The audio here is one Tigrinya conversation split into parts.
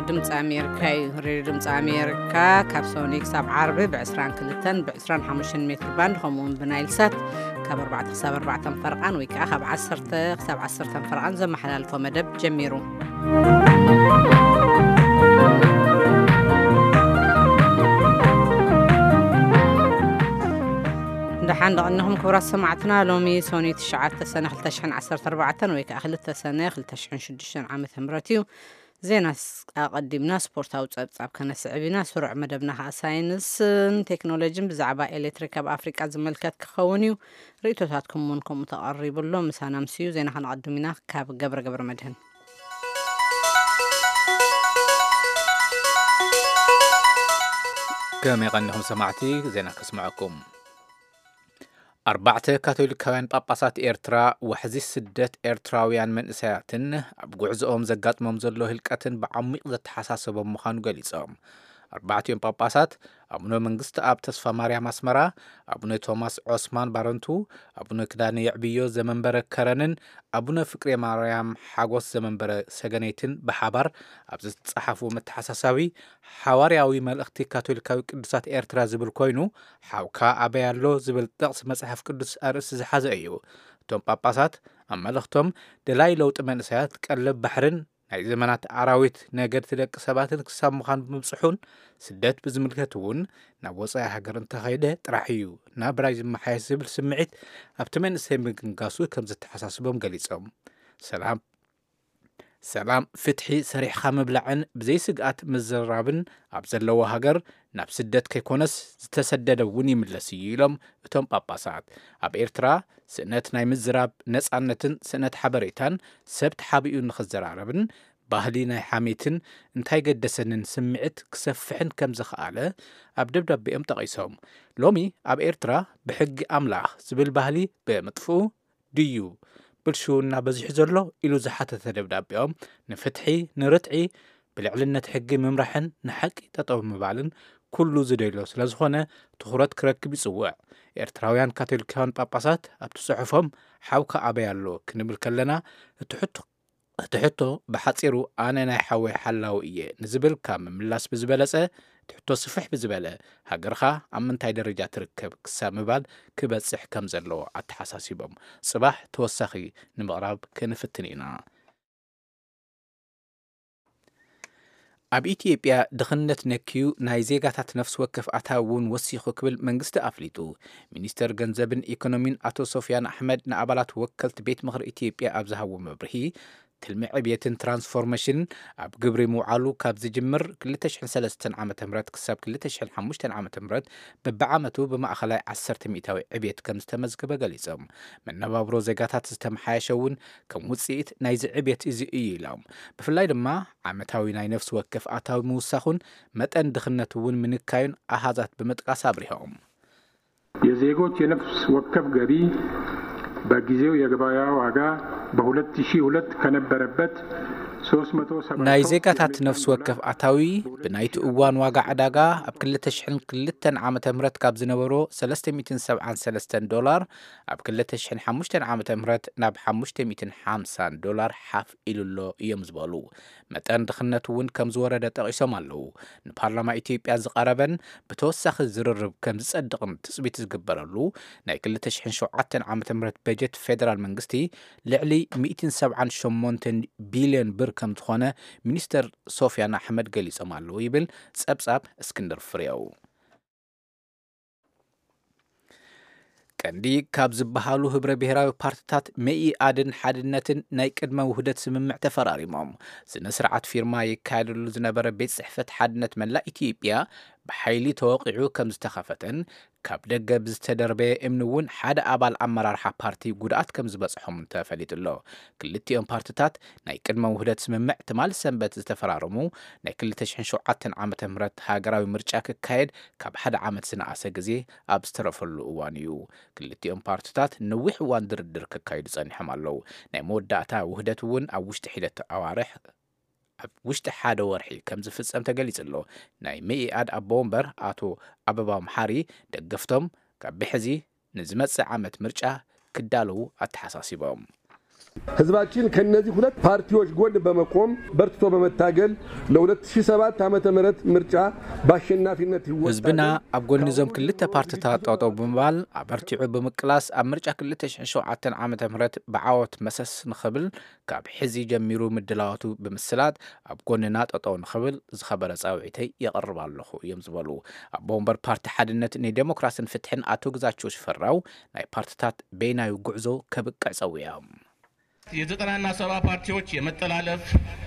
ድምፂ ኣሜሪካ እዩ። ሬድዮ ድምፂ ኣሜሪካ ካብ ሰኑይ ክሳብ ዓርቢ ብ22ን ብ25 ሜትር ባንድ፣ ከምኡ እውን ብናይል ሳት ካብ ኣርባዕተ ክሳብ ኣርባዕተ ፈረቓን ወይ ከዓ ካብ ዓሰርተ ክሳብ ዓሰርተ ፈረቓን ዘመሓላልፎ መደብ ጀሚሩ። ደሓን ደቐንኹም ክቡራት ሰማዕትና። ሎሚ ሰኑይ ትሽዓተ ሰነ ክልተ ሽሕን ዓሰርተ ኣርባዕተን ወይ ከዓ ክልተ ሰነ ክልተ ሽሕን ሽዱሽተን ዓመተ ምህረት እዩ። ዜና ኣቐዲምና ስፖርታዊ ጸብጻብ ከነስዕብ ኢና። ስሩዕ መደብና ከኣ ሳይንስን ቴክኖሎጂን ብዛዕባ ኤሌክትሪክ ኣብ ኣፍሪቃ ዝምልከት ክኸውን እዩ። ርእይቶታትኩም እውን ከምኡ ተቐሪቡ ኣሎ። ምሳና ምስዩ ዜና ከነቐድም ኢና። ካብ ገብረ ገብረ መድህን። ከመይ ቀኒኹም ሰማዕቲ? ዜና ከስምዐኩም። ኣርባዕተ ካቶሊካውያን ጳጳሳት ኤርትራ ዋሕዚ ስደት ኤርትራውያን መንእሰያትን ኣብ ጉዕዞኦም ዘጋጥሞም ዘሎ ህልቀትን ብዓሚቕ ዘተሓሳሰቦም ምዃኑ ገሊጾም። ኣርባዕቲኦም ጳጳሳት ኣቡነ መንግስቲ ኣብ ተስፋ ማርያም ኣስመራ፣ ኣቡነ ቶማስ ዖስማን ባረንቱ፣ ኣቡነ ክዳነ የዕብዮ ዘመንበረ ከረንን ኣቡነ ፍቅሬ ማርያም ሓጎስ ዘመንበረ ሰገነይትን ብሓባር ኣብ ዝተጻሓፉ መተሓሳሳቢ ሓዋርያዊ መልእኽቲ ካቶሊካዊ ቅዱሳት ኤርትራ ዝብል ኮይኑ፣ ሓውካ ኣበይ ኣሎ ዝብል ጥቕሲ መጽሓፍ ቅዱስ ኣርእስቲ ዝሓዘ እዩ። እቶም ጳጳሳት ኣብ መልእኽቶም ደላይ ለውጢ መንእሰያት ቀለብ ባሕርን ናይ ዘመናት ኣራዊት ነገድቲ ደቂ ሰባትን ክሳብ ምዃን ብምብጽሑን ስደት ብዝምልከት እውን ናብ ወጻኢ ሃገር እንተኸይደ ጥራሕ እዩ ናብራይ ዝመሓየሽ ዝብል ስምዒት ኣብቲ መንእሰይ ምግንጋሱ ከም ዘተሓሳስቦም ገሊጾም። ሰላም ሰላም፣ ፍትሒ፣ ሰሪሕኻ ምብላዕን ብዘይ ስግኣት ምዝርራብን ኣብ ዘለዎ ሃገር ናብ ስደት ከይኮነስ ዝተሰደደ እውን ይምለስ እዩ ኢሎም እቶም ጳጳሳት። ኣብ ኤርትራ ስእነት ናይ ምዝራብ ነጻነትን ስእነት ሓበሬታን ሰብ ተሓቢኡ ንኽዘራረብን ባህሊ ናይ ሓሜትን እንታይ ገደሰንን ስምዒት ክሰፍሕን ከም ዝኸኣለ ኣብ ደብዳቤኦም ጠቒሶም። ሎሚ ኣብ ኤርትራ ብሕጊ ኣምላኽ ዝብል ባህሊ ብምጥፍኡ ድዩ ብልሽውና በዚሑ ዘሎ ኢሉ ዝሓተተ ደብዳቤኦም፣ ንፍትሒ፣ ንርትዒ፣ ብልዕልነት ሕጊ ምምራሕን ንሓቂ ጠጠው ምባልን ኩሉ ዝደልዮ ስለ ዝኾነ ትኹረት ክረክብ ይጽውዕ። ኤርትራውያን ካቶሊካውያን ጳጳሳት ኣብቲ ጽሑፎም ሓውካ ኣበይ ኣሎ ክንብል ከለና እቲ ሕቶ እቲ ሕቶ ብሓጺሩ ኣነ ናይ ሓወይ ሓላዊ እየ ንዝብል ካብ ምምላስ ብዝበለጸ እቲ ሕቶ ስፍሕ ብዝበለ ሃገርኻ ኣብ ምንታይ ደረጃ ትርከብ ክሳብ ምባል ክበጽሕ ከም ዘለዎ ኣተሓሳሲቦም ጽባሕ ተወሳኺ ንምቕራብ ክንፍትን ኢና። ኣብ ኢትዮጵያ ድኽነት ነክዩ ናይ ዜጋታት ነፍሲ ወከፍ ኣታዊ እውን ወሲኹ ክብል መንግስቲ ኣፍሊጡ። ሚኒስተር ገንዘብን ኢኮኖሚን ኣቶ ሶፍያን ኣሕመድ ንኣባላት ወከልቲ ቤት ምኽሪ ኢትዮጵያ ኣብ ዝሃቦ መብርሂ ትልሚ ዕብየትን ትራንስፎርሜሽንን ኣብ ግብሪ ምውዓሉ ካብ ዝጅምር ክልተ ሽሕን ሰለስተን ዓመተ ምህረት ክሳብ ክልተ ሽሕን ሓሙሽተን ዓመተ ምህረት በብዓመቱ ብማእኸላይ ዓሰርተ ሚእታዊ ዕብየት ከም ዝተመዝገበ ገሊጾም። መነባብሮ ዜጋታት ዝተመሓየሸ እውን ከም ውጽኢት ናይዚ ዕብየት እዚ እዩ ኢሎም። ብፍላይ ድማ ዓመታዊ ናይ ነፍሲ ወከፍ ኣታዊ ምውሳኹን መጠን ድኽነት እውን ምንካዩን ኣሃዛት ብምጥቃስ ኣብሪሆም። የዜጎች የነፍስ ወከፍ ገቢ በጊዜው የገበያ ዋጋ በሁለት ሺህ ሁለት ከነበረበት ሶስት መቶ ሰባ ናይ ዜጋታት ነፍሲ ወከፍ ኣታዊ ብናይቲ እዋን ዋጋ ዕዳጋ ኣብ ክልተ ሽሕን ክልተን ዓመተ ምህረት ካብ ዝነበሮ ሰለስተ ሚእትን ሰብዓን ሰለስተን ዶላር ኣብ ክልተ ሽሕን ሓሙሽተን ዓመተ ምህረት ናብ ሓሙሽተ ሚእትን ሓምሳን ዶላር ሓፍ ኢሉሎ እዮም ዝበሉ። መጠን ድኽነት እውን ከም ዝወረደ ጠቒሶም ኣለዉ። ንፓርላማ ኢትዮጵያ ዝቐረበን ብተወሳኺ ዝርርብ ከም ዝጸድቕን ትጽቢት ዝግበረሉ ናይ ክልተ ሽሕን ሸውዓተን ዓመተ ምህረት በጀት ፌደራል መንግስቲ ልዕሊ ሚእትን ሰብዓን ሸሞንተን ቢልዮን ብር ከም ዝኾነ ሚኒስተር ሶፍያን ኣሕመድ ገሊጾም ኣለዉ ይብል ጸብጻብ እስክንድር ፍሬው። ቀንዲ ካብ ዝበሃሉ ህብረ ብሔራዊ ፓርትታት መኢኣድን ሓድነትን ናይ ቅድመ ውህደት ስምምዕ ተፈራሪሞም። ስነ ስርዓት ፊርማ ይካየደሉ ዝነበረ ቤት ጽሕፈት ሓድነት መላእ ኢትዮጵያ ብሓይሊ ተወቒዑ ከም ዝተኸፈተን ካብ ደገ ብዝተደርበየ እምኒ እውን ሓደ ኣባል ኣመራርሓ ፓርቲ ጉድኣት ከም ዝበጽሖም ተፈሊጡ ኣሎ። ክልቲኦም ፓርትታት ናይ ቅድመ ውህደት ስምምዕ ትማሊ ሰንበት ዝተፈራረሙ ናይ ክልተ ሽሕን ሸውዓተን ዓመተ ምህረት ሃገራዊ ምርጫ ክካየድ ካብ ሓደ ዓመት ዝነኣሰ ግዜ ኣብ ዝተረፈሉ እዋን እዩ። ክልቲኦም ፓርትታት ነዊሕ እዋን ድርድር ከካይዱ ጸኒሖም ኣለዉ። ናይ መወዳእታ ውህደት እውን ኣብ ውሽጢ ሒደት ኣዋርሕ ኣብ ውሽጢ ሓደ ወርሒ ከም ዝፍጸም ተገሊጹ ኣሎ። ናይ መኢኣድ ኣቦ ወንበር ኣቶ ኣበባው መሓሪ ደገፍቶም ካብ ብሕዚ ንዝመጽእ ዓመት ምርጫ ክዳለዉ ኣተሓሳሲቦም። ህዝባችን ከነዚህ ሁለት ፓርቲዎች ጎን በመቆም በርትቶ በመታገል ለ ሁለት ሺህ ሰባት ዓመተ ምህረት ምርጫ በአሸናፊነት ይወጣል። ህዝብና ኣብ ጎኒ እዞም ክልተ ፓርትታት ጠጠው ብምባል ኣበርቲዑ ብምቅላስ ኣብ ምርጫ ክልተ ሽሕን ሸውዓተን ዓመተ ምህረት ብዓወት መሰስ ንኽብል ካብ ሕዚ ጀሚሩ ምድላዋቱ ብምስላጥ ኣብ ጎንና ጠጠው ንኽብል ዝኸበረ ጻውዒተይ የቕርብ ኣለኹ እዮም ዝበሉ ኣቦ ወንበር ፓርቲ ሓድነት ንዴሞክራስን ፍትሕን ኣቶ ግዛቸው ሽፈራው ናይ ፓርትታት በይናዊ ጉዕዞ ከብቅዕ ጸዊዖም። የዘጠናና ሰባ ፓርቲዎች የመጠላለፍ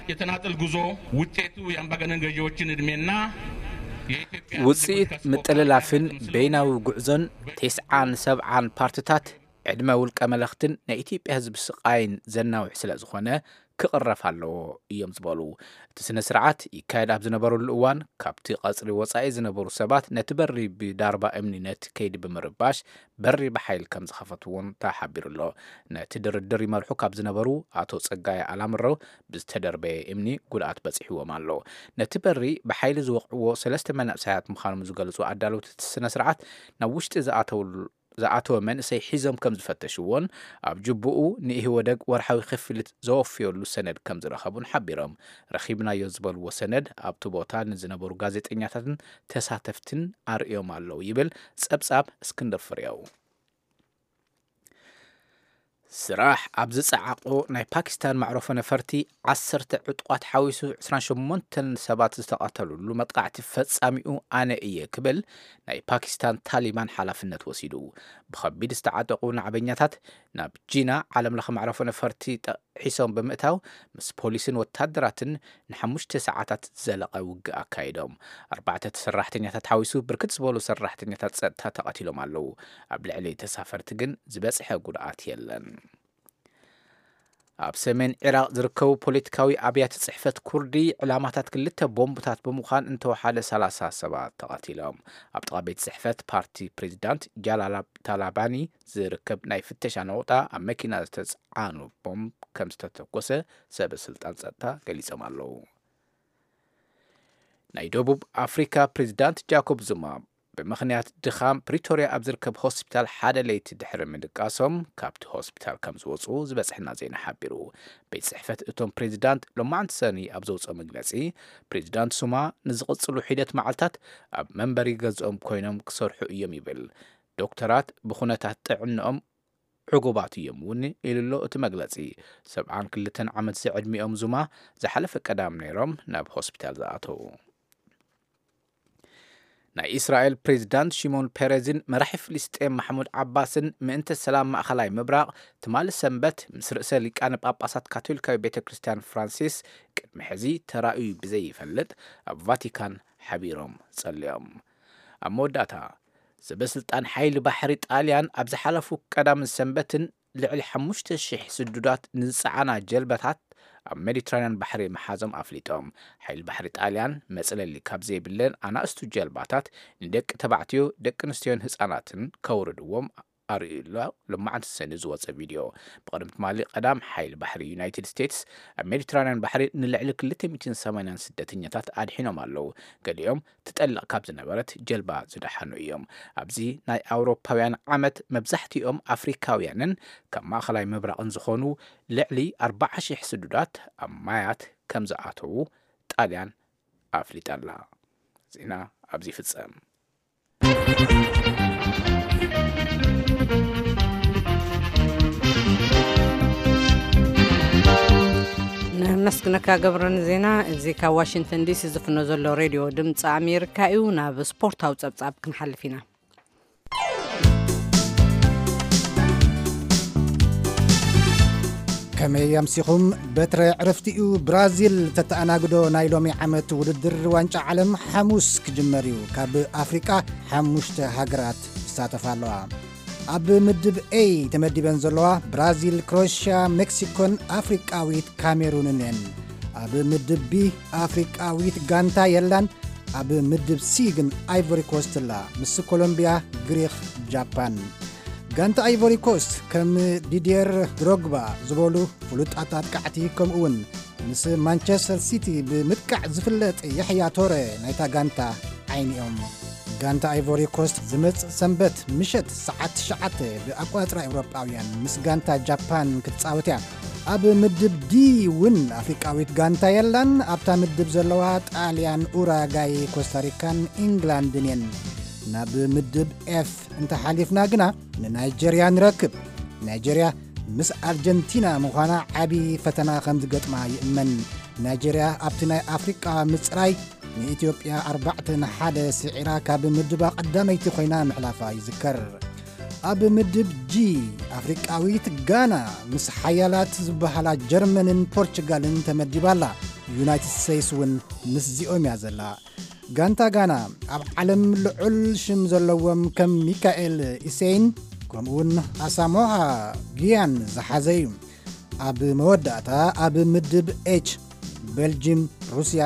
የተናጠል ጉዞ ውጤቱ የአምባገነን ገዢዎችን ዕድሜና የኢትዮጵያ ውጽኢት ምጥልላፍን በይናዊ ጉዕዞን ቴስዓን ሰብዓን ፓርትታት ዕድመ ውልቀ መለኽትን ናይ ኢትዮጵያ ህዝቢ ስቓይን ዘናውሕ ስለ ዝኾነ ክቕረፍ ኣለዎ እዮም ዝበሉ። እቲ ስነ ስርዓት ይካየድ ኣብ ዝነበረሉ እዋን ካብቲ ቀጽሪ ወጻኢ ዝነበሩ ሰባት ነቲ በሪ ብዳርባ እምኒ ነቲ ከይዲ ብምርባሽ በሪ ብሓይል ከም ዝኸፈትዎን ተሓቢሩ ኣሎ። ነቲ ድርድር ይመርሑ ካብ ዝነበሩ ኣቶ ጸጋይ ኣላምረው ብዝተደርበየ እምኒ ጉድኣት በጺሕዎም ኣሎ። ነቲ በሪ ብሓይሊ ዝወቕዕዎ ሰለስተ መናእሰያት ምዃኖም ዝገልጹ ኣዳለውቲ እቲ ስነ ስርዓት ናብ ውሽጢ ዝኣተውሉ ዝኣተወ መንእሰይ ሒዞም ከም ዝፈተሽዎን ኣብ ጅቡኡ ንኢህወደግ ወርሓዊ ክፍሊት ዘወፍየሉ ሰነድ ከም ዝረኸቡን ሓቢሮም። ረኺብናዮ ዝበልዎ ሰነድ ኣብቲ ቦታ ንዝነበሩ ጋዜጠኛታትን ተሳተፍትን ኣርእዮም ኣለዉ ይብል ጸብጻብ እስክንድር ፍሬው። ስራሕ ኣብ ዝጸዓቖ ናይ ፓኪስታን መዕረፎ ነፈርቲ ዓሰርተ ዕጡቓት ሓዊሱ ዕስራን ሸሞንተን ሰባት ዝተቐተሉሉ መጥቃዕቲ ፈጻሚኡ ኣነ እየ ክብል ናይ ፓኪስታን ታሊባን ሓላፍነት ወሲዱ። ብኸቢድ ዝተዓጠቑ ናዕበኛታት ናብ ጂና ዓለምለኸ መዕረፎ ነፈርቲ ጠ- ሒሶም ብምእታው ምስ ፖሊስን ወታደራትን ንሓሙሽተ ሰዓታት ዝዘለቐ ውግእ ኣካይዶም። ኣርባዕተ ሰራሕተኛታት ሓዊሱ ብርክት ዝበሉ ሰራሕተኛታት ጸጥታ ተቐቲሎም ኣለዉ። ኣብ ልዕሊ ተሳፈርቲ ግን ዝበጽሐ ጉድኣት የለን። ኣብ ሰሜን ዒራቕ ዝርከቡ ፖለቲካዊ ኣብያተ ጽሕፈት ኩርዲ ዕላማታት ክልተ ቦምብታት ብምዃን እንተወሓደ ሰላሳ ሰባት ተቐቲሎም። ኣብ ጥቓ ቤት ጽሕፈት ፓርቲ ፕሬዚዳንት ጃላል ታላባኒ ዝርከብ ናይ ፍተሻ ነቑጣ ኣብ መኪና ዝተጽዓኑ ቦምብ ከም ዝተተኮሰ ሰበ ስልጣን ጸጥታ ገሊጾም ኣለዉ። ናይ ደቡብ ኣፍሪካ ፕሬዚዳንት ጃኮብ ዙማ ብምኽንያት ድኻም ፕሪቶርያ ኣብ ዝርከብ ሆስፒታል ሓደ ለይቲ ድሕሪ ምድቃሶም ካብቲ ሆስፒታል ከም ዝወፁ ዝበፅሐና ዜና ሓቢሩ። ቤት ፅሕፈት እቶም ፕሬዚዳንት ሎማዕንቲ ሰኒ ኣብ ዘውፅኦ መግለፂ ፕሬዚዳንት ሱማ ንዝቕፅሉ ሒደት መዓልታት ኣብ መንበሪ ገዝኦም ኮይኖም ክሰርሑ እዮም ይብል። ዶክተራት ብኩነታት ጥዕንኦም ዕጉባት እዮም እውን ኢሉ ኣሎ እቲ መግለፂ። ሰብዓን ክልተን ዓመት ዝዕድሚኦም ዙማ ዝሓለፈ ቀዳም ነይሮም ናብ ሆስፒታል ዝኣተዉ። ናይ እስራኤል ፕሬዚዳንት ሽሞን ፔሬዝን መራሒ ፍልስጤም ማሕሙድ ዓባስን ምእንተ ሰላም ማእኸላይ ምብራቕ ትማሊ ሰንበት ምስ ርእሰ ሊቃነ ጳጳሳት ካቶሊካዊ ቤተ ክርስቲያን ፍራንሲስ ቅድሚ ሕዚ ተራእዩ ብዘይፈልጥ ኣብ ቫቲካን ሓቢሮም ጸልዮም። ኣብ መወዳእታ ሰበስልጣን ሓይሊ ባሕሪ ጣልያን ኣብ ዝሓለፉ ቀዳምን ሰንበትን ልዕሊ ሓሙሽተ ሽሕ ስዱዳት ንዝጸዓና ጀልባታት ኣብ ሜዲትራንያን ባሕሪ ምሓዞም ኣፍሊጦም። ሓይሊ ባሕሪ ጣልያን መጽለሊ ካብ ዘይብለን ኣናእሽቱ ጀልባታት ንደቂ ተባዕትዮ፣ ደቂ ኣንስትዮን ህጻናትን ከውርድዎም ኣርእዩ ኣሎ። ሎማዕንቲ ሰኒ ዝወጸ ቪድዮ። ብቕድሚ ትማሊ ቀዳም ሓይሊ ባሕሪ ዩናይትድ ስቴትስ ኣብ ሜዲትራንያን ባሕሪ ንልዕሊ ክልተ ሚእትን ሰማንያን ስደተኛታት ኣድሒኖም ኣለዉ። ገሊኦም ትጠልቕ ካብ ዝነበረት ጀልባ ዝደሓኑ እዮም። ኣብዚ ናይ ኣውሮፓውያን ዓመት መብዛሕትኦም ኣፍሪካውያንን ካብ ማእኸላይ ምብራቕን ዝኾኑ ልዕሊ ኣርባዓ ሽሕ ስዱዳት ኣብ ማያት ከም ዝኣተዉ ጣልያን ኣፍሊጣ ኣላ። ዜና ኣብዚ ይፍጸም። ነመስግነካ ገብረ ንዜና። እዚ ካብ ዋሽንግተን ዲሲ ዝፍኖ ዘሎ ሬድዮ ድምፂ ኣሜሪካ እዩ። ናብ ስፖርታዊ ጸብጻብ ክንሓልፍ ኢና። ከመይ ኣምሲኹም? በትረ ዕረፍቲኡ ብራዚል ተተኣናግዶ ናይ ሎሚ ዓመት ውድድር ዋንጫ ዓለም ሓሙስ ክጅመር እዩ። ካብ ኣፍሪቃ ሓሙሽተ ሃገራት ይሳተፋ ኣለዋ። ኣብ ምድብ ኤ ተመዲበን ዘለዋ ብራዚል፣ ክሮኤሽያ፣ ሜክሲኮን ኣፍሪቃዊት ካሜሩንን እየን። ኣብ ምድብ ቢ ኣፍሪቃዊት ጋንታ የላን። ኣብ ምድብ ሲ ግን ኣይቮሪ ኮስት ኣላ፣ ምስ ኮሎምቢያ፣ ግሪኽ፣ ጃፓን። ጋንታ ኣይቮሪ ኮስት ከም ዲድየር ድሮግባ ዝበሉ ፍሉጣት ኣጥቃዕቲ፣ ከምኡ እውን ምስ ማንቸስተር ሲቲ ብምጥቃዕ ዝፍለጥ የሕያ ቶረ ናይታ ጋንታ ዓይኒ እዮም። ጋንታ ኣይቮሪ ኮስት ዝመጽእ ሰንበት ምሸት ሰዓት ትሽዓተ ብኣቆጻጽራ ኤውሮጳውያን ምስ ጋንታ ጃፓን ክትጻወት እያ። ኣብ ምድብ ዲ እውን ኣፍሪቃዊት ጋንታ የላን። ኣብታ ምድብ ዘለዋ ጣልያን፣ ኡራጋይ፣ ኮስታሪካን ኢንግላንድን እየን። ናብ ምድብ ኤፍ እንተሓሊፍና ግና ንናይጀርያ ንረክብ። ናይጀርያ ምስ ኣርጀንቲና ምዃና ዓቢ ፈተና ከም ዝገጥማ ይእመን። ናይጀርያ ኣብቲ ናይ ኣፍሪቃ ምጽራይ ንኢትዮጵያ ኣርባዕተ ንሓደ ስዒራ ካብ ምድባ ቀዳመይቲ ኮይና ምሕላፋ ይዝከር። ኣብ ምድብ ጂ ኣፍሪቃዊት ጋና ምስ ሓያላት ዝበሃላ ጀርመንን ፖርቹጋልን ተመዲባ ኣላ። ዩናይትድ ስቴትስ እውን ምስዚኦም እያ ዘላ። ጋንታ ጋና ኣብ ዓለም ልዑል ሽም ዘለዎም ከም ሚካኤል ኢሴይን ከምኡውን ኣሳሞሃ ጊያን ዝሓዘ እዩ። ኣብ መወዳእታ ኣብ ምድብ ኤች ቤልጅም፣ ሩስያ፣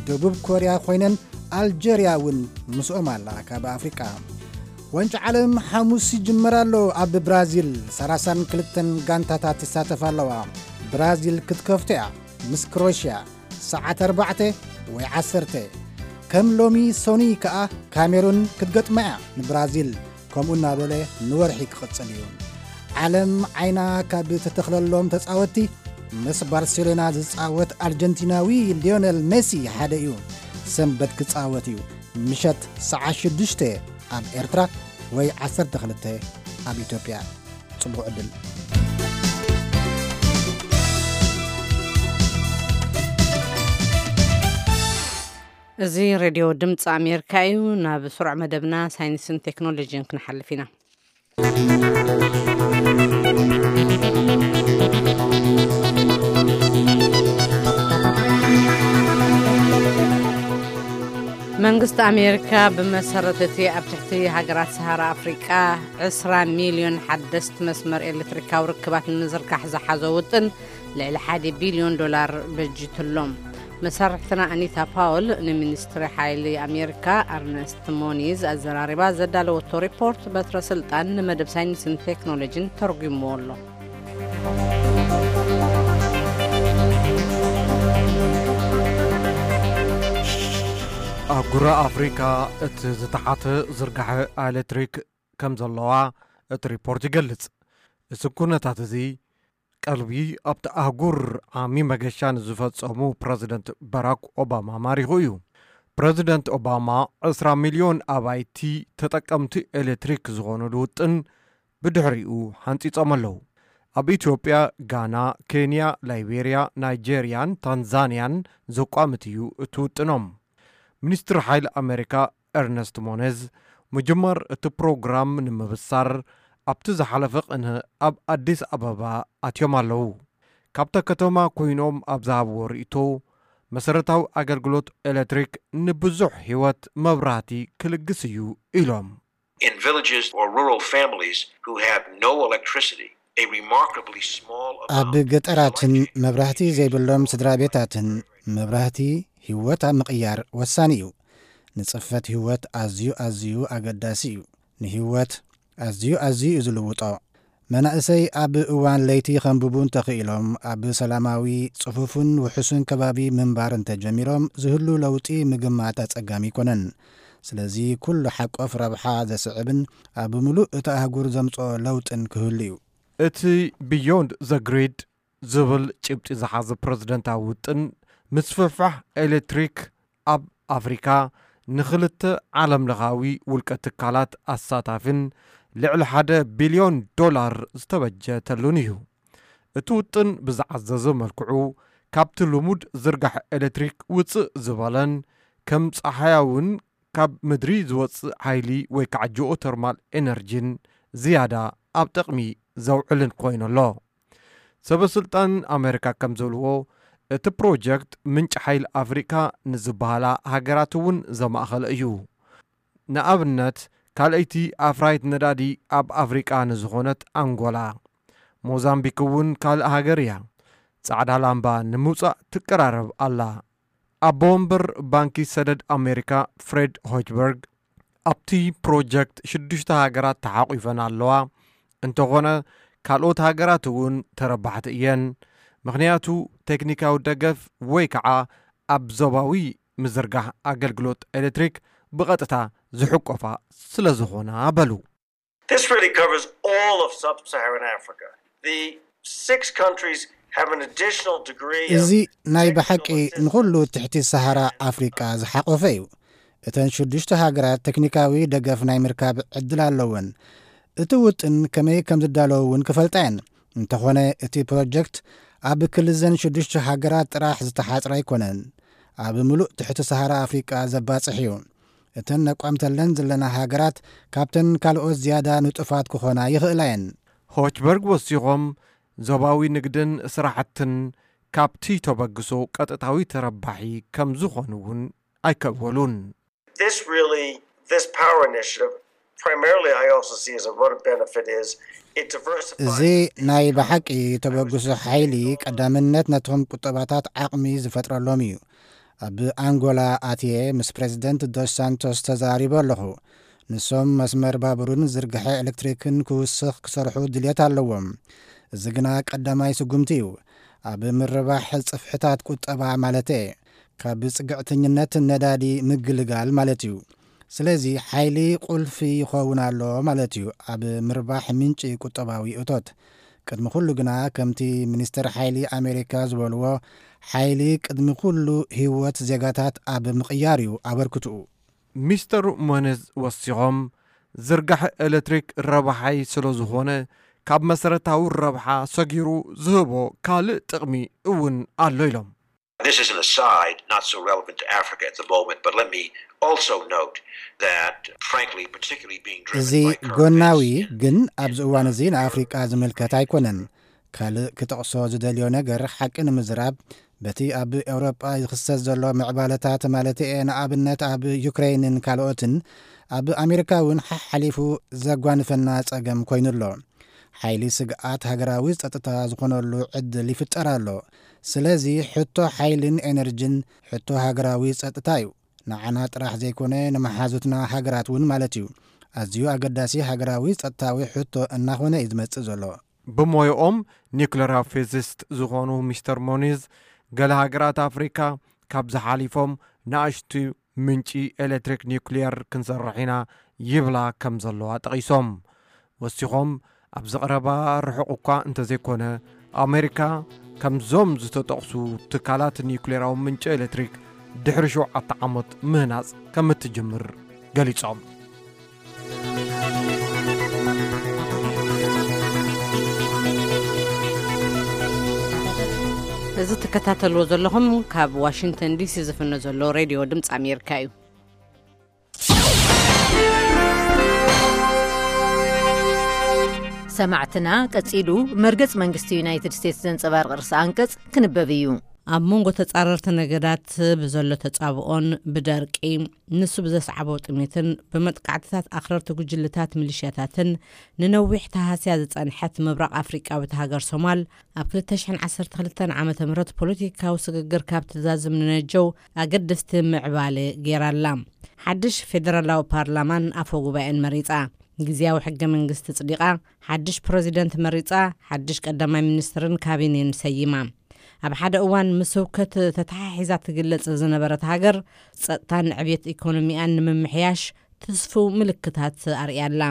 ደቡብ ኮርያ ኮይነን ኣልጀርያ እውን ምስኦም ኣላ። ካብ ኣፍሪቃ ዋንጫ ዓለም ሓሙስ ይጅመር ኣሎ። ኣብ ብራዚል ሰላሳን ክልተን ጋንታታት ይሳተፋ ኣለዋ። ብራዚል ክትከፍቶ እያ ምስ ክሮሽያ ሰዓት ኣርባዕተ ወይ ዓሰርተ። ከም ሎሚ ሶኒ ከኣ ካሜሩን ክትገጥማ እያ ንብራዚል። ከምኡ እናበለ ንወርሒ ክቕጽል እዩ። ዓለም ዓይና ካብ ተተኽለሎም ተጻወትቲ ምስ ባርሴሎና ዝጻወት ኣርጀንቲናዊ ሊዮነል ሜሲ ሓደ እዩ። ሰንበት ክጻወት እዩ። ምሸት ሰዓት ሽዱሽተ ኣብ ኤርትራ ወይ ዓሰርተ ክልተ ኣብ ኢትዮጵያ። ጽቡቕ ዕድል። እዚ ሬድዮ ድምፂ ኣሜሪካ እዩ። ናብ ስሩዕ መደብና ሳይንስን ቴክኖሎጂን ክንሓልፍ ኢና። መንግስቲ ኣሜሪካ ብመሰረት እቲ ኣብ ትሕቲ ሃገራት ሰሃራ ኣፍሪቃ ዕስራ ሚልዮን ሓደስቲ መስመር ኤሌክትሪካዊ ርክባት ንምዝርጋሕ ዝሓዞ ውጥን ልዕሊ ሓደ ቢልዮን ዶላር በጂትሎም። መሳርሕትና ኣኒታ ፓውል ንሚኒስትሪ ሓይሊ ኣሜሪካ ኣርነስት ሞኒዝ ኣዘራሪባ ዘዳለወቶ ሪፖርት በትረ ስልጣን ንመደብ ሳይንስን ቴክኖሎጂን ተርጉምዎ ኣሎ። ኣህጉረ ኣፍሪካ እቲ ዝተሓተ ዝርጋሐ ኤሌክትሪክ ከም ዘለዋ እቲ ሪፖርት ይገልጽ። እዚ ኩነታት እዚ ቀልቢ ኣብቲ ኣህጉር ዓሚ መገሻ ንዝፈጸሙ ፕረዚደንት ባራክ ኦባማ ማሪኹ እዩ። ፕረዚደንት ኦባማ ዕስራ ሚልዮን ኣባይቲ ተጠቀምቲ ኤሌክትሪክ ዝኾኑሉ ውጥን ብድሕሪኡ ሓንጺጾም ኣለዉ። ኣብ ኢትዮጵያ፣ ጋና፣ ኬንያ፣ ላይቤርያ፣ ናይጄርያን ታንዛንያን ዘቋምት እዩ እቲ ውጥኖም። ሚኒስትሪ ሓይሊ ኣሜሪካ ኤርነስት ሞኔዝ ምጅማር እቲ ፕሮግራም ንምብሳር ኣብቲ ዝሓለፈ ቅነ ኣብ ኣዲስ ኣበባ ኣትዮም ኣለዉ። ካብታ ከተማ ኮይኖም ኣብ ዝሃብዎ ርእይቶ፣ መሰረታዊ ኣገልግሎት ኤሌክትሪክ ንብዙሕ ህይወት መብራህቲ ክልግስ እዩ ኢሎም። In villages or rural families who have no electricity, a remarkably small ኣብ amount ገጠራትን መብራህቲ ዘይብሎም ስድራ ቤታትን መብራህቲ ህይወት ኣብ ምቕያር ወሳኒ እዩ። ንጽፈት ህይወት ኣዝዩ ኣዝዩ ኣገዳሲ እዩ። ንህይወት ኣዝዩ ኣዝዩ እዩ ዝልውጦ። መናእሰይ ኣብ እዋን ለይቲ ከንብቡ እንተኽኢሎም፣ ኣብ ሰላማዊ፣ ጽፉፍን ውሑስን ከባቢ ምንባር እንተጀሚሮም፣ ዝህሉ ለውጢ ምግማት ኣጸጋሚ ኣይኮነን። ስለዚ፣ ኩሉ ሓቆፍ ረብሓ ዘስዕብን ኣብ ምሉእ እታ ኣህጉር ዘምጽኦ ለውጥን ክህሉ እዩ። እቲ ቢዮንድ ዘ ግሪድ ዝብል ጭብጢ ዝሓዘ ፕረዚደንታዊ ውጥን፣ ምስፍሕፋሕ ኤሌክትሪክ ኣብ ኣፍሪካ ንኽልተ ዓለምለኻዊ ውልቀ ትካላት ኣሳታፊን ልዕሊ ሓደ ቢልዮን ዶላር ዝተበጀተሉን እዩ። እቲ ውጥን ብዝዓዘዘ መልክዑ፣ ካብቲ ልሙድ ዝርጋሐ ኤሌክትሪክ ውፅእ ዝበለን ከም ፀሓያውን ካብ ምድሪ ዝወፅእ ሓይሊ ወይ ከዓ ጂኦተርማል ኤነርጂን ዝያዳ ኣብ ጥቕሚ ዘውዕልን ኮይኑ ኣሎ። ሰበ ስልጣን ኣሜሪካ ከም ዝብልዎ፣ እቲ ፕሮጀክት ምንጪ ሓይሊ ኣፍሪካ ንዝበሃላ ሃገራት እውን ዘማእኸለ እዩ። ንኣብነት፣ ካልኣይቲ ኣፍራይት ነዳዲ ኣብ ኣፍሪቃ ንዝኾነት ኣንጎላ፣ ሞዛምቢክ እውን ካልእ ሃገር እያ። ጻዕዳ ላምባ ንምውጻእ ትቀራረብ ኣላ። ኣቦ ወንበር ባንኪ ሰደድ ኣሜሪካ ፍሬድ ሆችበርግ፣ ኣብቲ ፕሮጀክት ሽዱሽተ ሃገራት ተሓቑፈን ኣለዋ። እንተኾነ፣ ካልኦት ሃገራት እውን ተረባሕቲ እየን። ምኽንያቱ፣ ቴክኒካዊ ደገፍ ወይ ከዓ ኣብ ዞባዊ ምዝርጋሕ ኣገልግሎት ኤሌክትሪክ ብቐጥታ ዝሕቆፋ ስለ ዝኾና በሉ። This really covers all of sub-Saharan Africa. The Six countries have an additional degree of እዚ ናይ ብሓቂ ንኹሉ ትሕቲ ሰሃራ ኣፍሪቃ ዝሓቆፈ እዩ። እተን ሽዱሽተ ሃገራት ቴክኒካዊ ደገፍ ናይ ምርካብ ዕድል ኣለወን። እቲ ውጥን ከመይ ከም ዝዳለዉ እውን ክፈልጣ እየን። እንተኾነ እቲ ፕሮጀክት ኣብ ክልዘን ሽዱሽተ ሃገራት ጥራሕ ዝተሓጽረ ኣይኮነን። ኣብ ምሉእ ትሕቲ ሰሃራ ኣፍሪቃ ዘባጽሕ እዩ። እተን ነቋምተለን ዘለና ሃገራት ካብተን ካልኦት ዝያዳ ንጡፋት ክኾና ይኽእላ እየን። ሆችበርግ ወሲኾም ዞባዊ ንግድን ስራሕትን ካብቲ ተበግሶ ቀጥታዊ ተረባሒ ከም ዝኾኑ እውን ኣይከወሉን። This really, this power initiative, primarily I also see as a vote of benefit is it diversifies. እዚ ናይ ብሓቂ ተበግሶ ሓይሊ ቀዳምነት ነቶም ቁጠባታት ዓቕሚ ዝፈጥረሎም እዩ። ኣብ ኣንጎላ ኣትየ ምስ ፕሬዚደንት ዶስ ሳንቶስ ተዛሪበ ኣለኹ። ንሶም መስመር ባቡርን ዝርግሐ ኤሌክትሪክን ክውስኽ ክሰርሑ ድልየት ኣለዎም። እዚ ግና ቀዳማይ ስጉምቲ እዩ። ኣብ ምርባሕ ጽፍሕታት ቁጠባ ማለት እየ። ካብ ጽግዕተኝነት ነዳዲ ምግልጋል ማለት እዩ። ስለዚ ሓይሊ ቁልፊ ይኸውን ኣሎ ማለት እዩ ኣብ ምርባሕ ምንጪ ቁጠባዊ እቶት። ቅድሚ ኩሉ ግና ከምቲ ሚኒስትር ሓይሊ ኣሜሪካ ዝበልዎ ሓይሊ ቅድሚ ኩሉ ህይወት ዜጋታት ኣብ ምቕያር እዩ ኣበርክትኡ። ሚስተር ሞኔዝ ወሲኾም ዝርጋሐ ኤሌክትሪክ ረብሓይ ስለ ዝኾነ ካብ መሰረታዊ ረብሓ ሰጊሩ ዝህቦ ካልእ ጥቕሚ እውን ኣሎ ኢሎም። This is an aside, not so relevant to Africa at the moment, but let me also note that, frankly, particularly being driven እዚ by current ጎናዊ events in ግን ኣብዚ እዋን እዚ ንኣፍሪቃ ዝምልከት ኣይኮነን። ካልእ ክጠቕሶ ዝደልዮ ነገር ሓቂ ንምዝራብ በቲ ኣብ ኤውሮጳ ዝኽሰት ዘሎ ምዕባለታት ማለት እየ ንኣብነት ኣብ ዩክሬንን ካልኦትን ኣብ ኣሜሪካ እውን ሓሓሊፉ ዘጓንፈና ጸገም ኮይኑ ኣሎ። ሓይሊ ስግኣት ሃገራዊ ጸጥታ ዝኾነሉ ዕድል ይፍጠር ኣሎ። ስለዚ ሕቶ ሓይልን ኤነርጅን ሕቶ ሃገራዊ ጸጥታ እዩ። ንዓና ጥራሕ ዘይኮነ ንመሓዙትና ሃገራት እውን ማለት እዩ። ኣዝዩ ኣገዳሲ ሃገራዊ ጸጥታዊ ሕቶ እናኾነ እዩ ዝመጽእ ዘሎ። ብሞይኦም ኒውክሌራዊ ፊዚስት ዝኾኑ ሚስተር ሞኒዝ ገለ ሃገራት ኣፍሪካ ካብ ዝሓሊፎም ንኣሽቱ ምንጪ ኤሌክትሪክ ኒውክሊየር ክንሰርሕ ኢና ይብላ ከም ዘለዋ ጠቒሶም። ወሲኾም ኣብዚ ቀረባ ርሑቕ እኳ እንተዘይኮነ ኣሜሪካ ከምዞም ዝተጠቕሱ ትካላት ኒውክሌራዊ ምንጪ ኤሌክትሪክ ድሕሪ ሸውዓተ ዓመት ምህናጽ ከም እትጅምር ገሊጾም። እዚ ትከታተልዎ ዘለኹም ካብ ዋሽንግተን ዲሲ ዝፍኖ ዘሎ ሬድዮ ድምፂ ኣሜሪካ እዩ። ሰማዕትና ቀጺሉ መርገጽ መንግስቲ ዩናይትድ ስቴትስ ዘንጸባርቕ ርእሰ ኣንቀጽ ክንበብ እዩ። ኣብ መንጎ ተጻረርቲ ነገዳት ብዘሎ ተጻብኦን ብደርቂ ንሱ ብዘስዓቦ ጥሜትን ብመጥቃዕትታት ኣኽረርቲ ጉጅልታት ሚሊሽያታትን ንነዊሕ ተሃስያ ዝጸንሐት ምብራቕ ኣፍሪቃዊት ሃገር ሶማል ኣብ ክልተ ሽሕን ዓሰርተ ክልተን ዓመተ ምህረት ፖለቲካዊ ስግግር ካብ ትዛዝም ንነጀው ኣገደስቲ ምዕባለ ገይራ ኣላ። ሓድሽ ፌደራላዊ ፓርላማን ኣፈ ጉባኤን መሪጻ፣ ግዝያዊ ሕገ መንግስቲ ጽዲቓ፣ ሓድሽ ፕረዚደንት መሪጻ፣ ሓድሽ ቀዳማይ ሚኒስትርን ካቢኔን ሰይማ። ኣብ ሓደ እዋን ምስ ህውከት ተተሓሒዛ ትግለጽ ዝነበረት ሃገር ጸጥታን ዕብየት ኢኮኖሚኣን ንምምሕያሽ ትስፉው ምልክታት ኣርእያ ኣላ።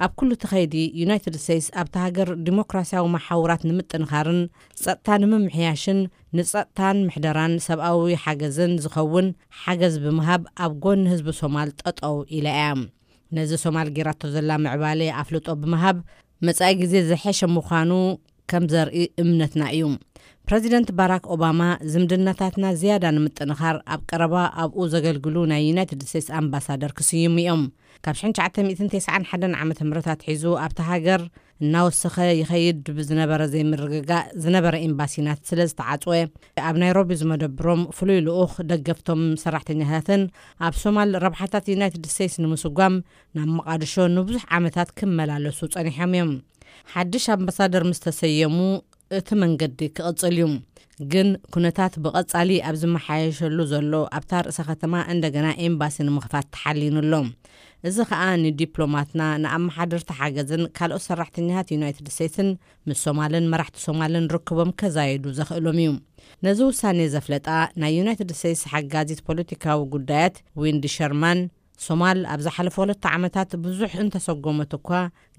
ኣብ ኩሉ እቲ ኸይዲ ዩናይትድ ስቴትስ ኣብታ ሃገር ዲሞክራሲያዊ መሓውራት ንምጥንኻርን ጸጥታ ንምምሕያሽን ንጸጥታን ምሕደራን ሰብኣዊ ሓገዝን ዝኸውን ሓገዝ ብምሃብ ኣብ ጎኒ ህዝቢ ሶማል ጠጠው ኢላ እያ። ነዚ ሶማል ጌራቶ ዘላ ምዕባለ ኣፍልጦ ብምሃብ መጻኢ ግዜ ዝሐሸ ምዃኑ ከም ዘርኢ እምነትና እዩ። ፕረዚደንት ባራክ ኦባማ ዝምድናታትና ዝያዳ ንምጥንኻር ኣብ ቀረባ ኣብኡ ዘገልግሉ ናይ ዩናይትድ ስቴትስ ኣምባሳደር ክስይሙ እዮም። ካብ ሽሕን ትሽዓተ ሚእትን ተስዓን ሓደን ዓመተ ምህረት ኣትሒዙ ኣብታ ሃገር እናወሰኸ ይኸይድ ብዝነበረ ዘይምርግጋእ ዝነበረ ኤምባሲና ስለ ዝተዓጽወ ኣብ ናይሮቢ ዝመደብሮም ፍሉይ ልኡኽ ደገፍቶም ሰራሕተኛታትን ኣብ ሶማል ረብሓታት ዩናይትድ ስቴትስ ንምስጓም ናብ መቓድሾ ንብዙሕ ዓመታት ክመላለሱ ጸኒሖም እዮም። ሓድሽ ኣምባሳደር ምስ ተሰየሙ እቲ መንገዲ ክቕጽል እዩ። ግን ኩነታት ብቐጻሊ ኣብ ዝመሓየሸሉ ዘሎ ኣብታ ርእሰ ከተማ እንደገና ኤምባሲ ንምኽፋት ተሓሊኑ ኣሎ። እዚ ኸኣ ንዲፕሎማትና ንኣመሓደርቲ ሓገዝን ካልኦት ሰራሕተኛታት ዩናይትድ ስቴትስን ምስ ሶማልን መራሕቲ ሶማልን ርክቦም ከዛየዱ ዘኽእሎም እዩ። ነዚ ውሳኔ ዘፍለጣ ናይ ዩናይትድ ስቴትስ ሓጋዚት ፖለቲካዊ ጉዳያት ዊንዲ ሸርማን ሶማል ኣብ ዝሓለፈ ክልተ ዓመታት ብዙሕ እንተሰጎመት እኳ፣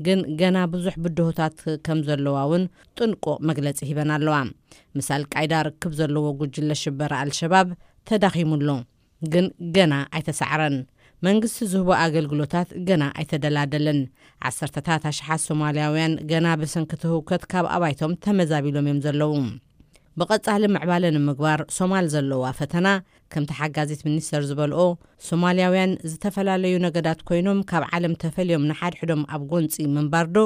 ግን ገና ብዙሕ ብድሆታት ከም ዘለዋ እውን ጥንቁቕ መግለጺ ሂበን ኣለዋ። ምስ ኣልቃይዳ ርክብ ዘለዎ ጉጅለ ሽበራ ኣልሸባብ ተዳኺሙ ኣሎ፣ ግን ገና ኣይተሳዕረን። መንግስቲ ዝህቦ ኣገልግሎታት ገና ኣይተደላደለን። ዓሰርተታት ኣሽሓት ሶማልያውያን ገና ብሰንኪ እቲ ህውከት ካብ ኣባይቶም ተመዛቢሎም እዮም ዘለዉ። ብቐጻሊ ምዕባለ ንምግባር ሶማል ዘለዋ ፈተና፣ ከምቲ ሓጋዚት ሚኒስተር ዝበልኦ፣ ሶማልያውያን ዝተፈላለዩ ነገዳት ኮይኖም ካብ ዓለም ተፈልዮም ንሓድሕዶም ኣብ ጎንጺ ምንባር ዶ፣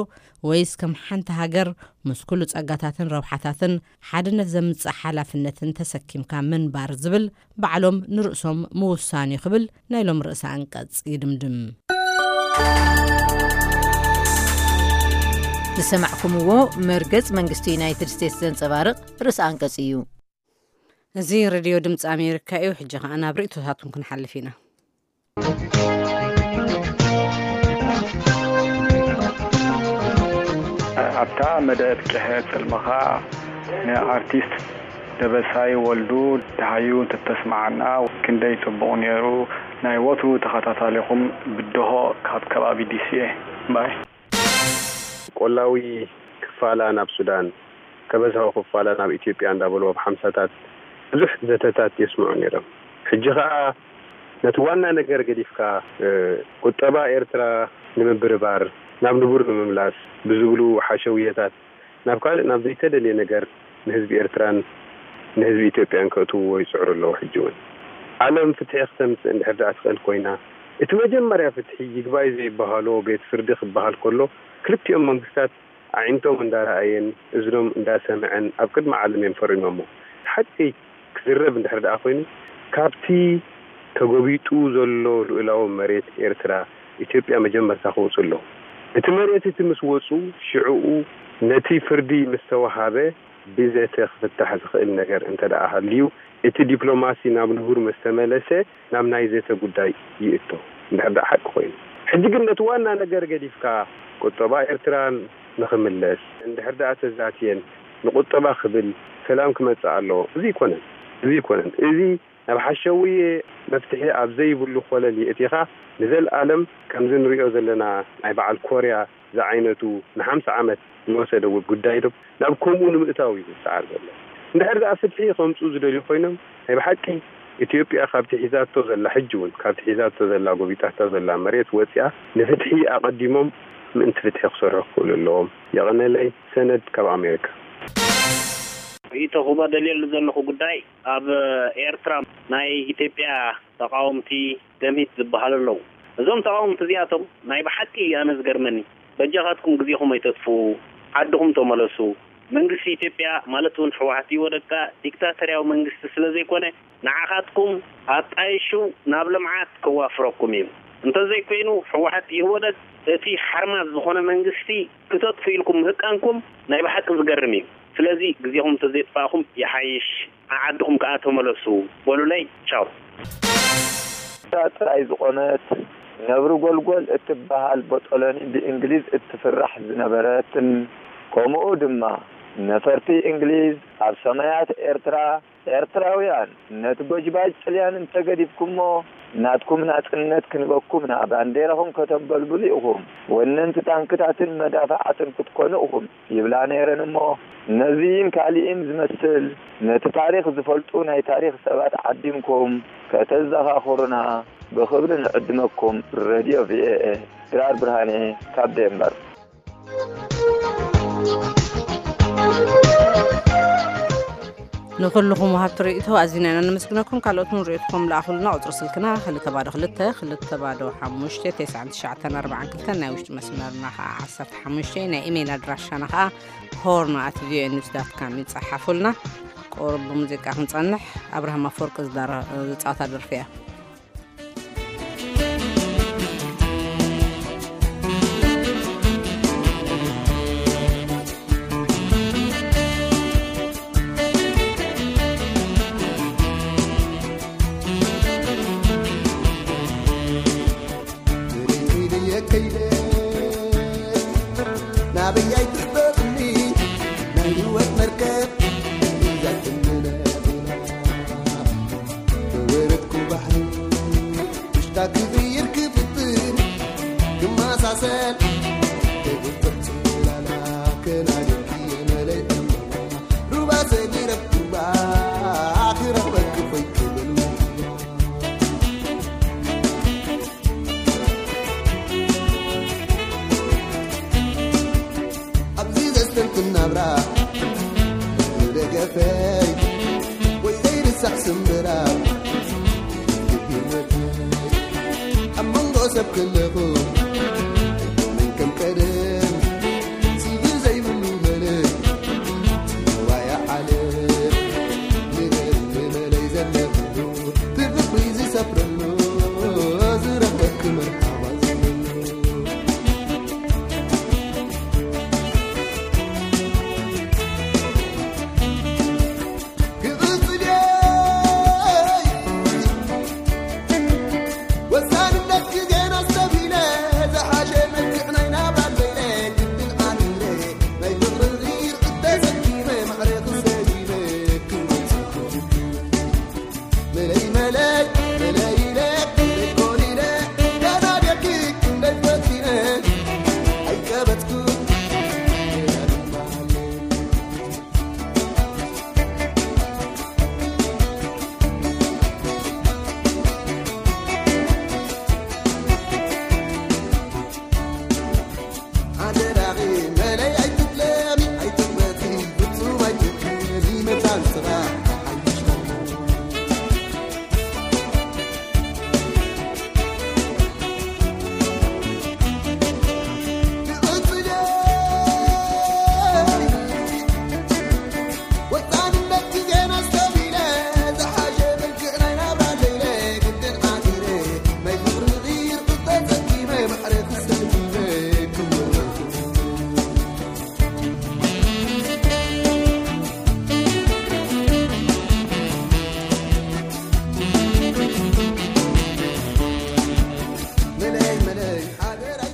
ወይስ ከም ሓንቲ ሃገር ምስ ኩሉ ጸጋታትን ረብሓታትን ሓድነት ዘምጽእ ሓላፍነትን ተሰኪምካ ምንባር ዝብል ባዕሎም ንርእሶም ምውሳን እዩ ክብል ናይ ሎም ርእሰ ኣንቀጽ ይድምድም። ዝሰማዕኩምዎ መርገጽ መንግስቲ ዩናይትድ ስቴትስ ዘንጸባርቕ ርእሰ ኣንቀጽ እዩ። እዚ ሬድዮ ድምፂ ኣሜሪካ እዩ። ሕጂ ኸዓ ናብ ርእይቶታትኩም ክንሓልፍ ኢና። ኣብታ መደብ ጭሕት ጽልምኻ ንኣርቲስት ደበሳይ ወልዱ ደሃዩ እንተተስምዓና ክንደይ ጽቡቕ ነይሩ። ናይ ወትሩ ተኸታታሊኹም ብድሆ ካብ ከባቢ ዲሲ እየ። ባይ። ቆላዊ ክፋላ ናብ ሱዳን፣ ከበዝሖ ክፋላ ናብ ኢትዮጵያ እንዳበሉ ኣብ ሓምሳታት ብዙሕ ዘተታት የስምዑ ነይሮም። ሕጂ ኸኣ ነቲ ዋና ነገር ገዲፍካ፣ እ፣ ቁጠባ ኤርትራ ንምብርባር፣ ናብ ንቡር ንምምላስ ብዝብሉ ሓሸውየታት ናብ ካልእ፣ ናብ ዘይተደልየ ነገር ንህዝቢ ኤርትራን ንህዝቢ ኢትዮጵያን ከእትውዎ ይጽዕሩ ኣለዉ። ሕጂ እውን ዓለም ፍትሒ ክተምጽእ እንድሕር ደኣ ትኽእል ኮይና፣ እቲ መጀመርያ ፍትሒ ይግባይ ዘይበሃሎ ቤት ፍርዲ ክበሃል ከሎ፣ ክልቲኦም መንግስታት ኣዒንቶም እንዳረኣየን እዝኖም እንዳሰምዐን ኣብ ቅድሚ ዓለም እዮም ፈሪሞሞ። ሓቂ ክዝረብ እንድሕር ደኣ ኮይኑ፣ ካብቲ ተጎቢጡ ዘሎ ልኡላዊ መሬት ኤርትራ፣ ኢትዮጵያ መጀመርታ ክወጹ ኣለዎም። እቲ መሬት እቲ ምስ ወጹ፣ ሽዕኡ ነቲ ፍርዲ ምስ ተወሃበ፣ ብዘተ ክፍታሕ ዝኽእል ነገር እንተ ደኣ ሃልዩ፣ እቲ ዲፕሎማሲ ናብ ንቡር ምስ ተመለሰ፣ ናብ ናይ ዘተ ጉዳይ ይእቶ። እንድሕር ደኣ ሓቂ ኮይኑ። ሕጂ ግን ነቲ ዋና ነገር ገዲፍካ፣ ቁጠባ ኤርትራ ንኽምለስ፣ እንድሕር ደኣ ተዛትየን፣ ንቁጠባ ክብል ሰላም ክመጽእ ኣለዎ። እዚ ኣይኮነን። እዚ ኣይኮነን። እዚ ናብ ሓሸውየ መፍትሒ ኣብ ዘይብሉ ኮለል የእቲኻ፣ ንዘለኣለም ከምዚ ንሪኦ ዘለና ናይ በዓል ኮርያ ዝዓይነቱ ንሓምሳ ዓመት ዝወሰደ ጉዳይ ዶ ናብ ከምኡ ንምእታው እዩ ዝሰዓር ዘሎ። እንድሕር ደኣ ፍትሒ ከምጽኡ ዝደልዩ ኮይኖም፣ ናይ ብሓቂ ኢትዮጵያ ካብቲ ሒዛቶ ዘላ፣ ሕጂ እውን ካብቲ ሒዛቶ ዘላ፣ ጎቢጣቶ ዘላ መሬት ወጺኣ ንፍትሒ ኣቐዲሞም ምእንቲ ፍትሒ ክሰርሑ ክኽእሉ ኣለዎም። የቐነለይ። ሰነድ ካብ ኣሜሪካ። ርእይቶ ክበ ደልየሉ ዘለኹ ጉዳይ፣ ኣብ ኤርትራ ናይ ኢትዮጵያ ተቃወምቲ ደምሂት ዝበሃሉ ኣለዉ። እዞም ተቃወምቲ እዚኣቶም ናይ ብሓቂ ኣነ ዝገርመኒ፣ በጃኻትኩም ግዜኹም ኣይተጥፍኡ፣ ዓድኹም ተመለሱ። መንግስቲ ኢትዮጵያ ማለት እውን ህወሓት ኢህወደግ ዲክታተርያዊ መንግስቲ ስለ ዘይኮነ፣ ንዓኻትኩም ኣጣይሹ ናብ ልምዓት ከዋፍረኩም እዩ። እንተዘይኮይኑ ህወሓት ኢህወደግ እቲ ሓርማዝ ዝኾነ መንግስቲ ክተጥፉ ኢልኩም ምህቃንኩም ናይ ብሓቂ ዝገርም እዩ። ስለዚ ግዜኹም እንተዘይጥፋእኹም ይሓይሽ፣ ዓዓድኹም ከኣ ተመለሱ በሉለይ። ቻው። ጥራይ ዝኾነት ነብሪ ጎልጎል እትበሃል ቦጦሎኒ ብእንግሊዝ እትፍራሕ ዝነበረትን፣ ከምኡ ድማ ነፈርቲ እንግሊዝ ኣብ ሰማያት ኤርትራ፣ ኤርትራውያን ነቲ ጎጅባጅ ጥልያን እንተገዲፍኩሞ፣ ናትኩም ናጽነት ክንበኩም ኢና፣ ባንዴራኹም ከተንበልብሉ ኢኹም፣ ወነንቲ ታንክታትን መዳፍዓትን ክትኮኑ ኢኹም ይብላ ነይረን እሞ፣ ነዚን ካልእን ዝመስል ነቲ ታሪኽ ዝፈልጡ ናይ ታሪኽ ሰባት ዓዲምኩም ከተዘኻኽሩና ብኽብሪ ንዕድመኩም። ሬድዮ ቪኦኤ፣ ድራር ብርሃኔ ካብ ዴንማርክ። ንኹልኹም ወሃብቲ ርእይቶ ኣዚና ኢና ነመስግነኩም። ካልኦት እውን ርእይቶኹም ለኣኹልና። ቁጽሪ ስልክና ክልተ ባዶ ክልተ፣ ክልተ ባዶ ሓሙሽተ፣ ተስዓን ትሽዓተን ኣርባዓን ክልተን፣ ናይ ውሽጢ መስመርና ኸዓ ዓሰርተ ሓሙሽተ፣ ናይ ኢሜይል ኣድራሻና ኸዓ ሆርን ኣት ቪኦኤ ኒውስ ዳት ካም እዩ። ጸሓፉልና። ቁሩብ ብሙዚቃ ክንጸንሕ፣ ኣብርሃም ኣፈወርቂ ዝዳረ-፣ ዝጻወታ ደርፊ እያ። ናበይ ኣይትሕበጥኒ ናይ ህይወት መርከብ እያ ትምነጥና። ወረድኩ ባሕሪ ውሽጣ ክብሪ ይርክብ ደገፈይ ወይ ዘይርሳዕ ስምብራ ህይወት ኣብ መንጎ ሰብ ከለኹ ኣይኮነን ከም ቀደም ስግር ዘይብሉ መለ ዋያ ዓለም ንደሊ መለይ ዘለኹ ትብቕሪ ዝሰፍረሉ ዝረኽበኪ መርሓባ ዝብለሉ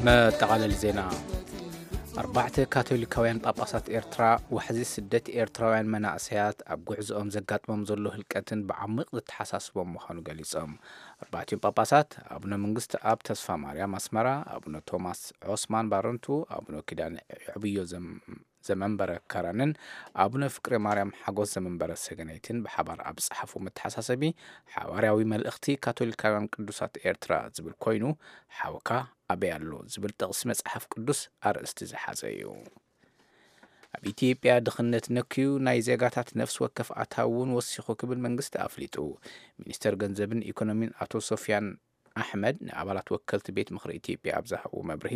መጠቓለሊ ዜና። ኣርባዕተ ካቶሊካውያን ጳጳሳት ኤርትራ ዋሕዚ ስደት ኤርትራውያን መናእሰያት ኣብ ጉዕዞኦም ዘጋጥሞም ዘሎ ህልቀትን ብዓሚቕ ዘተሓሳስቦም ምዃኑ ገሊጾም። ኣርባዕቲኦም ጳጳሳት ኣቡነ መንግስቲ ኣብ ተስፋ ማርያም ኣስመራ፣ ኣቡነ ቶማስ ዖስማን ባረንቱ፣ ኣቡነ ኪዳነ ዕብዮ ዘም ዘመንበረ ከረንን ኣቡነ ፍቅሬ ማርያም ሓጎስ ዘመንበረ ሰገነይትን ብሓባር ኣብ ዝጸሓፉ መተሓሳሰቢ ሓዋርያዊ መልእኽቲ ካቶሊካውያን ቅዱሳት ኤርትራ ዝብል ኮይኑ ሓውካ ኣበይ ኣሎ ዝብል ጥቕሲ መጽሓፍ ቅዱስ ኣርእስቲ ዝሓዘ እዩ። ኣብ ኢትዮጵያ ድኽነት ነክዩ ናይ ዜጋታት ነፍሲ ወከፍ ኣታዊ እውን ወሲኹ ክብል መንግስቲ ኣፍሊጡ። ሚኒስተር ገንዘብን ኢኮኖሚን ኣቶ ሶፊያን ኣሕመድ ንኣባላት ወከልቲ ቤት ምኽሪ ኢትዮጵያ ኣብ ዝሃብዎ መብርሂ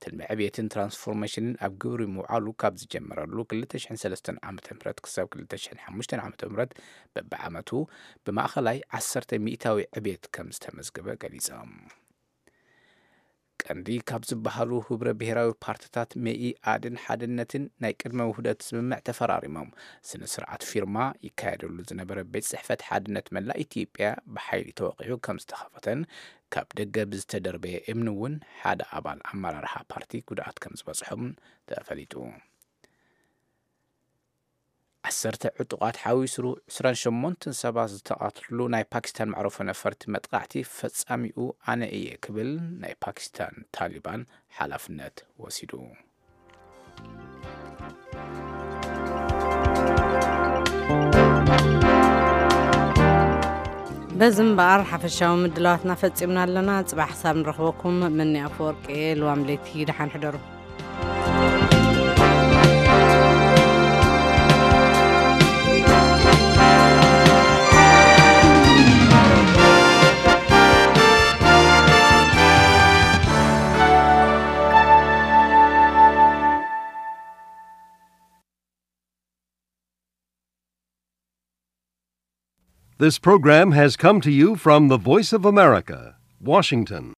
ትልሚ ዕብየትን ትራንስፎርሜሽንን ኣብ ግብሪ ምውዓሉ ካብ ዝጀመረሉ ክልተ ሽሕን ሰለስተን ዓመተ ምህረት ክሳብ ክልተ ሽሕን ሓሙሽተን ዓመተ ምህረት በብዓመቱ ብማእኸላይ ዓሰርተ ሚእታዊ ዕብየት ከም ዝተመዝገበ ገሊጾም። ቀንዲ ካብ ዝበሃሉ ህብረ ብሔራዊ ፓርትታት መኢኣድን ሓድነትን ናይ ቅድመ ውህደት ስምምዕ ተፈራሪሞም። ስነ ስርዓት ፊርማ ይካየደሉ ዝነበረ ቤት ጽሕፈት ሓድነት መላእ ኢትዮጵያ ብሓይሊ ተወቒዑ ከም ዝተኸፈተን ካብ ደገ ብዝተደርበየ እምኒ እውን ሓደ ኣባል ኣመራርሓ ፓርቲ ጉድኣት ከም ዝበጽሖም ተፈሊጡ። ዓሰርተ ዕጡቓት ሓዊሱ ዕስራን ሸሞንተን ሰባት ዝተቐትልሉ ናይ ፓኪስታን መዕረፎ ነፈርቲ መጥቃዕቲ ፈጻሚኡ ኣነ እየ ክብል ናይ ፓኪስታን ታሊባን ሓላፍነት ወሲዱ። በዚ እምበኣር ሓፈሻዊ ምድላዋትና ፈጺምና ኣለና። ጽባሕ ክሳብ ንረኽበኩም መኒ ኣፈወርቂ እየ። ልዋም ለይቲ ደሓን ሕደሩ። This program has come to you from the Voice of America, Washington.